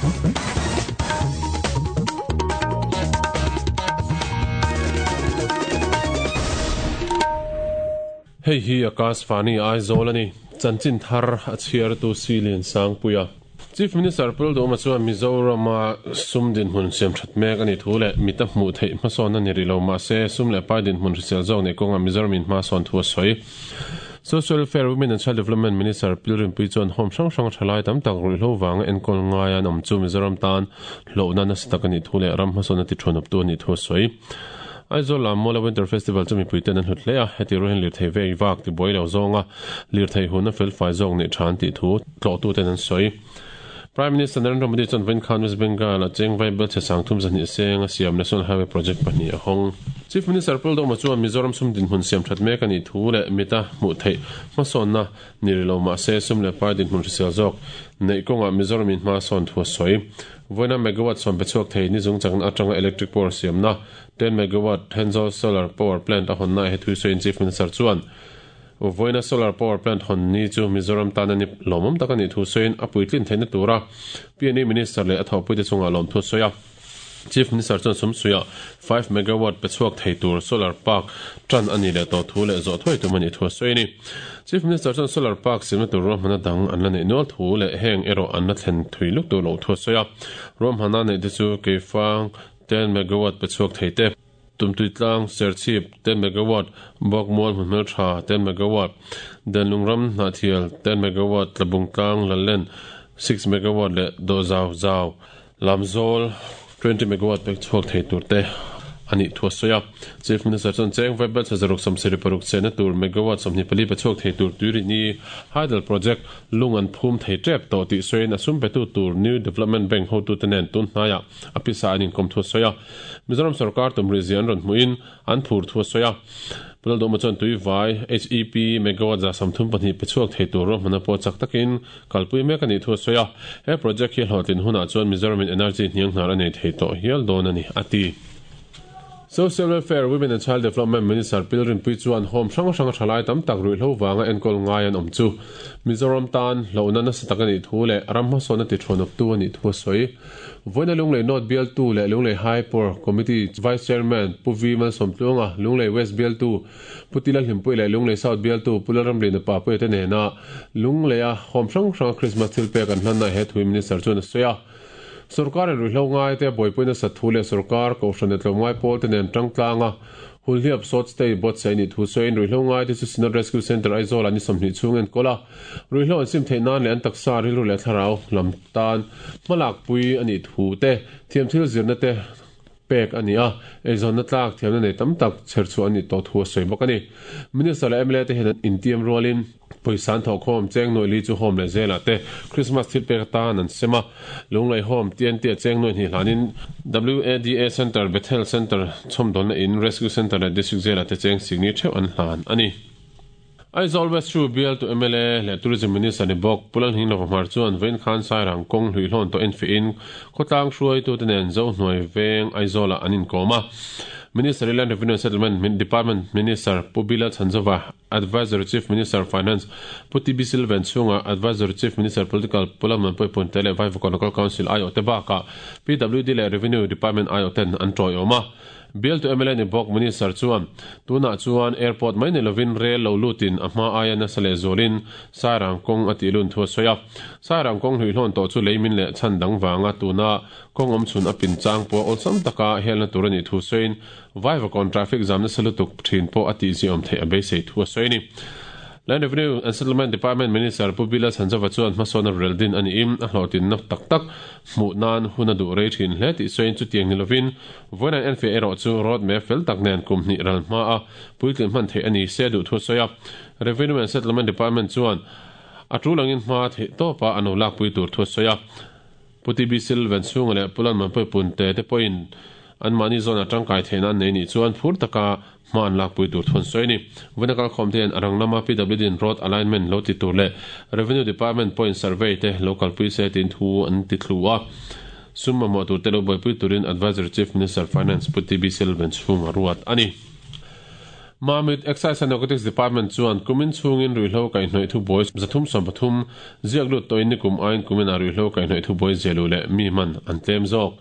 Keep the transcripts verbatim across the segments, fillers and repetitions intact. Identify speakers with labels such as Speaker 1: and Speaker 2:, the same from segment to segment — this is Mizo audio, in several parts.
Speaker 1: Hei hi Akashvani Aizawl ani chanchin thar a chhiar tu Silian Sangpuia Chief Minister Pul Duhoma chuan Mizorama sum dinhmun siam that mek ani thu leh mita hmuh theih hmasawn ani rih lo mahse sum leh pai dinhmun hrisel zawk nei kawnga Mizoram in hmasawn thu a sawi. Social Welfare, Women and Child Development Minister Pilrinpui chuan home hrang hrang thalai tam tak ruihhlo wanga enkawl ngai an awm chu Mizoram tan hlawhna nasa tak ani thu leh ram hmasawn a ti thuan up tu ani thu a sawi. Aizawl lam Mawla Winter Festival chu mipui ten an hlut hle a, heti ruahin lirthei vei vak ti buai lo zawnga lirthei hun a fel fai zawk neih tha an tih thu tlawhtu ten an sawi. Prime Minister Narendra Modi chuan vawiin khan West Bengal a cheng vai bel chhe sang thum zahnih seng a siam National Highway Project pahnih a hawng. Chief Minister Pul Duhoma chuan Mizoram sum dinhmun siam that mek ani thu leh mita hmuh theih hmasawnna ni rih lo mahse sum leh pai dinhmun hrisel zawk neih kawnga Mizoram in hmasawn thu a sawi. Vawiina megawatt sawm pe chhuak thei ni zung chakna atanga electric power siamna ten megawatt Thenzawl solar power plant a hawnna he thui sawiin Chief Minister chuan Vawiina solar power plant hawn ni chu Mizoram tan ani lawmawm tak ani thu sawiin a puitlin theihna tura P N E Minister leh a thawhpuite chungah lawm thu sawi a. Chief Minister chuan sumsuia five megawatt pe chhuak thei tur solar park tan ani leh to thu leh zawh thuai tum ani thu sawi ani. Chief Minister chuan solar park siamna tur ruahmanna dang an la neih nual thu leh heng erawh an la thlen thui luk tur lo thu sawi a. Ruahmanna neih te chu keifang ten megawatt pe chhuak thei te, tumtui tlang serchhip ten megawatt, bawkmual hmunhmel tha ten megawatt, denlung ram hnahthial ten megawatt, tlabung tlang lallen six megawatt leh do zau zau lamzawl twenty megawatt pek chhuak thei tur te ani thu sawi a. Chief Minister chuan cheng vai bel chazaruk samsiri paruk chena tur megawatt sawmhnih pali pe chhuak thei tur tuiri ni hydel project lung an phum thei tep to ti sawiin a sum pe tu tur New Development Bank ho tu te nen tun hnaia a pisa an inkom thu sawi a. Mizoram sarkar tumri zian rawn hmuin an phur thu sawi a. Pul Duhoma chuan tui vai H E P megawatt za samthum pahnih pe chhuak thei tur ruahmanna pawh chak takin kalpui mek ani thu sawi a. He project hi hlawhtlin hunah chuan Mizoram in energy hniang hnar a nei thei tawh hial dawn ani a ti. Social Welfare, Women and Child Development Minister Pilrinpui chuan home hrang hrang thalai tam tak ruihhlo wanga enkawl ngai an awm chu Mizoram tan hlawhna nasa tak ani thu leh ram hmasawn a ti thuan up tu ani thu a sawi. Vawiina Lunglei North Bial tu leh Lunglei High Power Committee Vice Chairman Pu V Malsawmtluanga, Lunglei West Bial tu Pu Tila Hlimpui leh Lunglei South Bial tu Pu Lalramlina Papuia te nena Lunglei a home hrang hrang Christmas thil pek an hlanna he thui Minister chuan a sawi a. Sarkar in ruihhlo ngai te buaipuina sathu leh sarkar kohhran tlawm ngai pawl te nen tangtlanga hulhiap sawt stay bot sei ni thu sawiin ruihhlo ngai te chu Synod Rescue Center Aizawl ani sawmhnih chhung en kawla ruihhlo an sim theih nan leh an taksa rilru leh thlarau lam tan hmalak pui ani thu te thiam thil zirna te pek ani a eizawnna tlak thiamna nei tam tak chher chu ani to thu a sawi bawk ani. Minister leh M L A te hian intiam rualin poisan thaw khawm cheng noi li chu home leh zela te Christmas thil pek tan an sema Lunglei home T N T a cheng noi hni hlanin W A D A Center Bethel Center chhawmdawnna in Rescue Center leh District zela te cheng singni theuh an hlan ani. Aizawl West Chu Bial tu M L A leh Tourism Minister ni bawk Pulan Hinglova hmar chuan vawiin khan Sairang kawng hluihlawn to en fiin khawtlang hruai tu te nen zo hnuai veng Aizawla an inkawm a. Minister Land Revenue and Settlement Department Minister Pu Bila Chhanzova, Advisor Chief Minister Finance Pu T B Silvan chunga Advisor Chief Minister Political Pulaman Pui Punte leh Vaivakawn Local Council I O te bakah P W D leh Revenue Department I O ten an tawiawm a. Bial tu M L A ni bawk Minister chuan tunah chuan airport mai ni lovin rail lo lutin a hma aia nasa leh zawlin Sairang kawng a tih lun thu a sawi a. Sairang kawng hluihlawn tawh chu leimin leh chhan dang wanga tuna kawng awm chhun a pin chang pawh awlsam taka helna tur ani thu sawiin Vaivakawn traffic jam nasa lutuk thin pawh a tih ziawm theih a beisei thu a sawi ani. Land Revenue and Settlement Department Minister Pu Bila Chhanzova chuan hmasawn a rel din ani im a hlawhtin nak tak tak hmuh nan hun a duh rei thin hle tih sawiin chu tiang ni lovin vawiin an enfiah erawh chu road map fel tak nen kum hnih ral hma a puitlin hman theih ani se duh thu sawi a. Revenue and Settlement Department chuan a tulangin hma theih tawpa an lo lak pui tur thu sawi a. Pu T B Silvan chhunga leh Pulan Manpui Punte te pawhin an mahni zawn a tangkai theihna an nei ni chuan phur taka hma an lak pui tur thun sawi ani. Vawiina kalkhawm te hian a rang lama P W D in road alignment lo ti tur leh Revenue Department point survey te local pui se tin thu an ti thlu a. Sum mamawh tur te lo buaipui turin Advisor Chief Minister Finance Pu T B Silvan chhunga ruat ani. Mamit Excise and Narcotics Department chuan kumin chungin ruihhlo kaihhnawih thu buai zathum sawm pathum ziak lut tawhin nikum aiin kumin ah ruihhlo kaihhnawih thu buai ziahluh leh mi man an tlem zawk.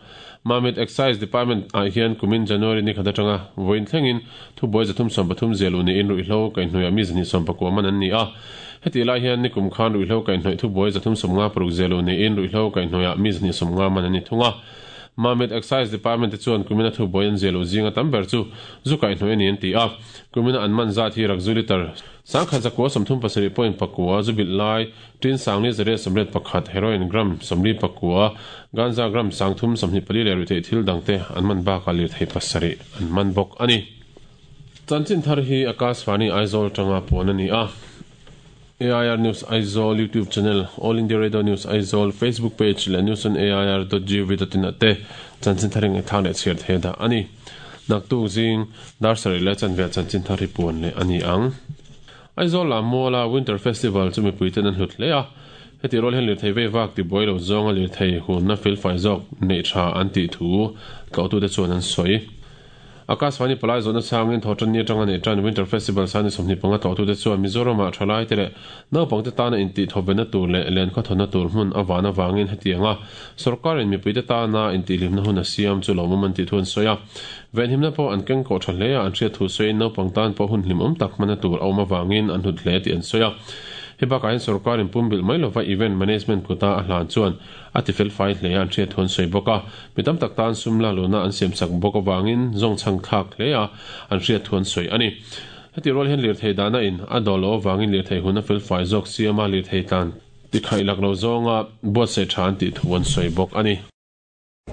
Speaker 1: Mamit Excise Department ah hian kumin January ni khat atanga vawiin thlengin thu buai zathum sawm pathum ziahluh niin ruihhlo kaihhnawih ah mi zahnih sawm pakua man an ni a. Heti lai hian nikum khan ruihhlo kaihhnawih thu buai zathum sawm nga paruk ziahluh niin ruihhlo kaihhnawih ah mi zahnih sawm nga man an ni thung a. Mamit Excise Department te chuan kumina thu buai an ziahluh zinga tam ber chu zu kaihhnawih a ni an ti a. Kumina an man zat hi rakzu liter sangkhat zakua sawmthum pasarih point pakua zu bilh lai tin sangli zariat sawmriat pakhat heroin gram sawmli pakua ganja gram sangthum sawmhnih pali leh ruihtheih thil dangte an man bakah lirthei pasarih an man bawk a ni. Chanchin thar hi Akashvani Aizawl tanga puan a ni a. A I R News Aizawl YouTube channel, All India Radio News Aizawl Facebook page leh news on A I R dot gov dot in ah te chanchin thar eng thang leh chhiar thei dah a ni. Naktuk zing dar sarih leh chanve chanchin thar hi puan leh a ni ang. Aizawl lam muala Winter Festival chu mipui ten an hlut hle a. Heti rual hian lirthei vei vak ti buai lo zawnga lirthei hunna fel fai zawk neih tha an tih thu tlawhtute chuan an sawi. Akashvani palai zawhna changin thawhtan ni atanga neih tan Winter Festival sani sawmhnih panga tlawhtute chuan Mizoramah thalai te leh naupangte tana intih thawvenna tur leh len khawthawna tur hmun a van avangin hetianga sorkarin mipuite tana intihhlimna hun a siam chu lawmawm an tih thu an sawi a. Venhimna pawh an keng kawh tha hle a, an hriat thu sawiin naupang tan pawh hun hlimawm tak hmana tur a awm avangin an hlut hle tih an sawi a. He bakah hian sorkarin pumbilh mai lova event management kuta a hlan chuan a ti fel fai hle a, an hriat thu an sawi bawk a. Mi tam tak tan sum la luna an siam sak bawk avangin zawng chhang thlak hle a, an hriat thu an sawi a ni. Heti rual hian lirthei dahna in a dawl lo avangin lirthei hun a fel fai zawk siam a, lirthei tlan ti khaih lak lo zawnga buatsaih tha an tih thu an sawi bawk a ni.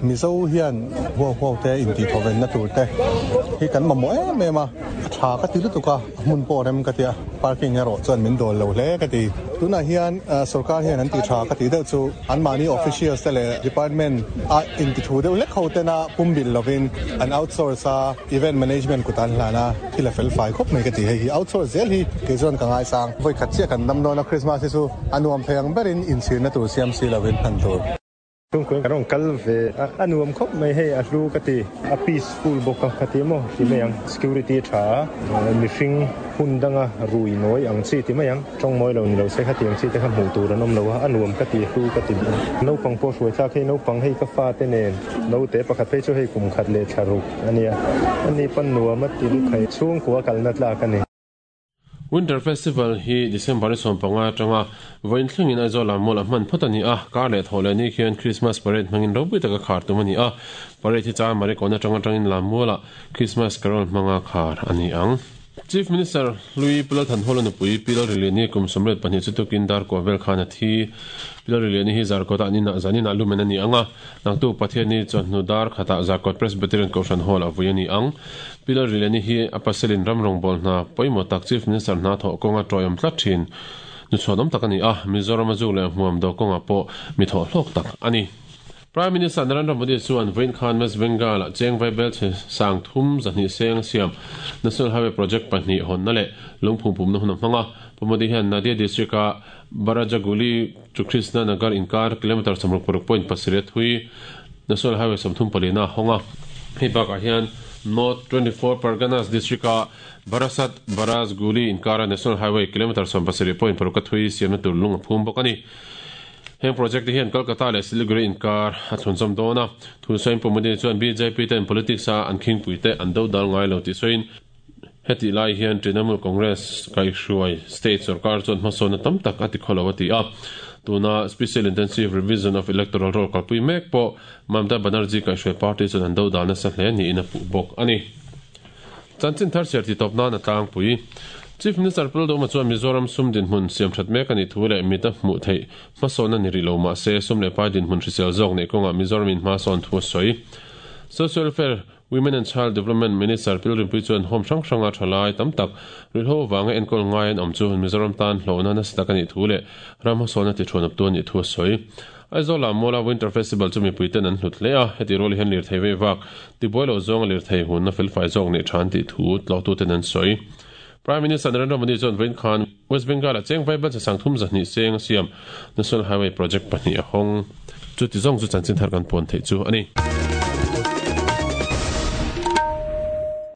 Speaker 2: Mizo hian huau huau te intih thawvenna tur te hi kan mamawh em em a, a tha ka ti lutuk a, a hmun pawh rem ka ti a, parking erawh chuan min dawl lo hle ka ti. Tunah hian sorkar hian an tih tha ka tih deuh chu anmahni officials te leh department a intithu deuh hlek ho tena pumbilh lovin an outsource a, event management kut an hlan a, thil a fel fai khawp mai ka ti. Hei hi outsource zel hi kei chuan ka ngaisang. Vawi khat chiah kan dam dawn a, Christmas hi chu a nuam thei ang berin inchhirna tur siam si lovin hman tur.
Speaker 3: Chungkui kan rawn kal ve a, a nuam khawp mai hei a hlu ka ti, a peaceful bawk a ka ti maw ti mai ang, security tha a, mihring hun danga rui nawi ang chi ti mai ang, tawng mawi lo ni lo se khatiang chi te kha hmuh tur an awm lo a, a nuam ka ti hlu ka ti. Naupang pawh hruai thlak hei naupang hei ka fa te nen naute pakhat phei chu hei kum khat leh thla ruk a nia, ani pawn nuam a ti lup hei chhungkua kalna tlak a ni.
Speaker 1: Winter Festival hi December sawm panga atanga vawiin thlengin Aizawl lam mual a hman phawt a ni a, kar leh thaw leh ni khian Christmas parade hmangin ropui taka khar tum a ni a, parade hi cha Marikawn atanga tangin lam mualah Christmas carol hmanga khar a ni ang. Chief Minister Hlui Pilal Thanhawla nupui Pilal Riliani kum sawmriat pahnih chu tukin dar kuah vel khan a thi. Pilal Riliani hi Zarkawt ah ninah zaninah lumen a ni ang a, naktuk Pathianni chawhnu dar khatah Zarkawt Presbyterian Kohhran Hall a vui a ni ang. Pilal Riliani hi a pasalin ram rawngbâwl hna pawimawh tak Chief Minister hna thawh kawnga tawiawm tlat thin nuchhuanawm tak a ni a, Mizoram a zuk leh hmuam do kawngah pawh mi thawh hlawk tak a ni. Prime Minister Narendra Modi chuan vawiin khan West Bengal ah cheng vaibel chhe sang thum zahnih seng a siam National Highway Project pahnih hawnna leh lungphum pumna hun a hmang a. Pu Modi hian Nadia District a Barajaguli to Krishna Nagar inkar kilometre sawmruk paruk point pasarih a thui National Highway sawmthum palina a hawng a. Hei bakah hian North twenty four Parganas District a Barasat Barasguli inkara National Highway kilometre sawm pasarih point paruk a thui siamna tur lung a phum bawk a ni. Heng project te hian Kolkata leh Siliguri inkar a thlunzawm dawn a. Thu sawiin Pu Modi chuan B J P ten politics a an khingpui te an do dal ngai lo tih sawiin heti lai hian Trinamool Congress kaihhruai state sorkar chuan hmasawnna tam tak a ti khaw lo a ti a. Tuna Special Intensive Revision of Electoral Roll kalpui mek pawh Mamata Banerjee kaihhruai party chuan an do dal nasa hle niin a puh bawk a ni. Chanchin thar chhiar ti tawp nan a tlangpui. Chief Minister Pu Lalduhoma chuan Mizoram sum dinhmun siam that mek a nih thu leh mit a hmuh theih hmasawnna ni rih lo mah se sum leh pai dinhmun hrisel zawk neih kawngah Mizoram in hmasawn thu a sawi. Social Welfare, Women and Child Development Minister Pil Rinpui chuan home hrang hranga thalai tam tak ruihhlo avanga enkawl ngai an awm chu Mizoram tan hlawhna nasa tak a nih thu leh ram hmasawnna ti thuan awptu a nih thu a sawi. Aizawl lam muala Winter Festival chu mipui ten an hlut hle a, heti rual hian lirthei vei vak ti buai lo zawnga lirthei hunna fel fai zawk neih tha an tih thu tlawhtuten an sawi. Prime Minister Narendra Modi chuan vawiin khan West Bengal ah cheng vaibel che sang thum zahnih seng a siam National Highway Project pahnih a hawng. Chuti zawng chu chanchin thar kan puan theih chu a ni.